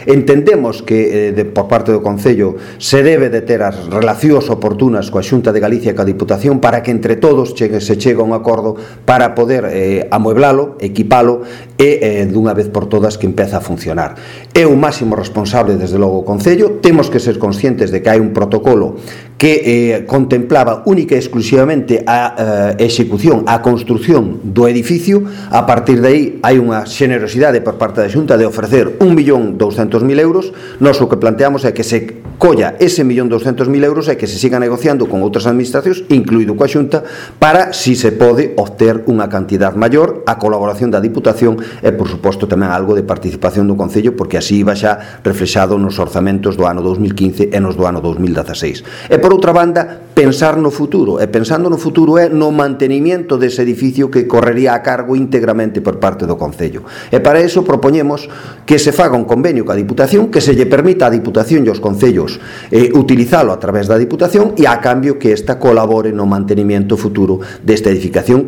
Entendemos que por parte do Concello se debe de ter as relacións oportunas coa Xunta de Galicia e coa Diputación para que entre todos se chegue a un acordo para poder amueblalo, equipalo e dunha vez por todas que empeza a funcionar. É o máximo responsable desde logo o Concello, temos que ser conscientes de que hai un protocolo que contemplaba única e exclusivamente a execución, a construción do edificio. A partir de aí hai unha xenerosidade por parte da Xunta de ofrecer 1.200.000 euros. Nós o que planteamos é que se colla ese 1.200.000 euros e que se siga negociando con outras administracións, incluído coa Xunta, para si se pode obter unha cantidad maior, a colaboración da Diputación e, por suposto, tamén algo de participación do Concello, porque así iba xa reflexado nos orzamentos do ano 2015 e nos do ano 2016. E, por outra banda, pensar no futuro, e pensando no futuro é no mantenimiento dese edificio que correría a cargo íntegramente por parte do Concello. E para iso propoñemos que se faga un convenio coa Diputación, que se lle permita á Diputación e aos Concellos utilizalo a través da Diputación e a cambio que esta colabore no mantenimiento futuro desta edificación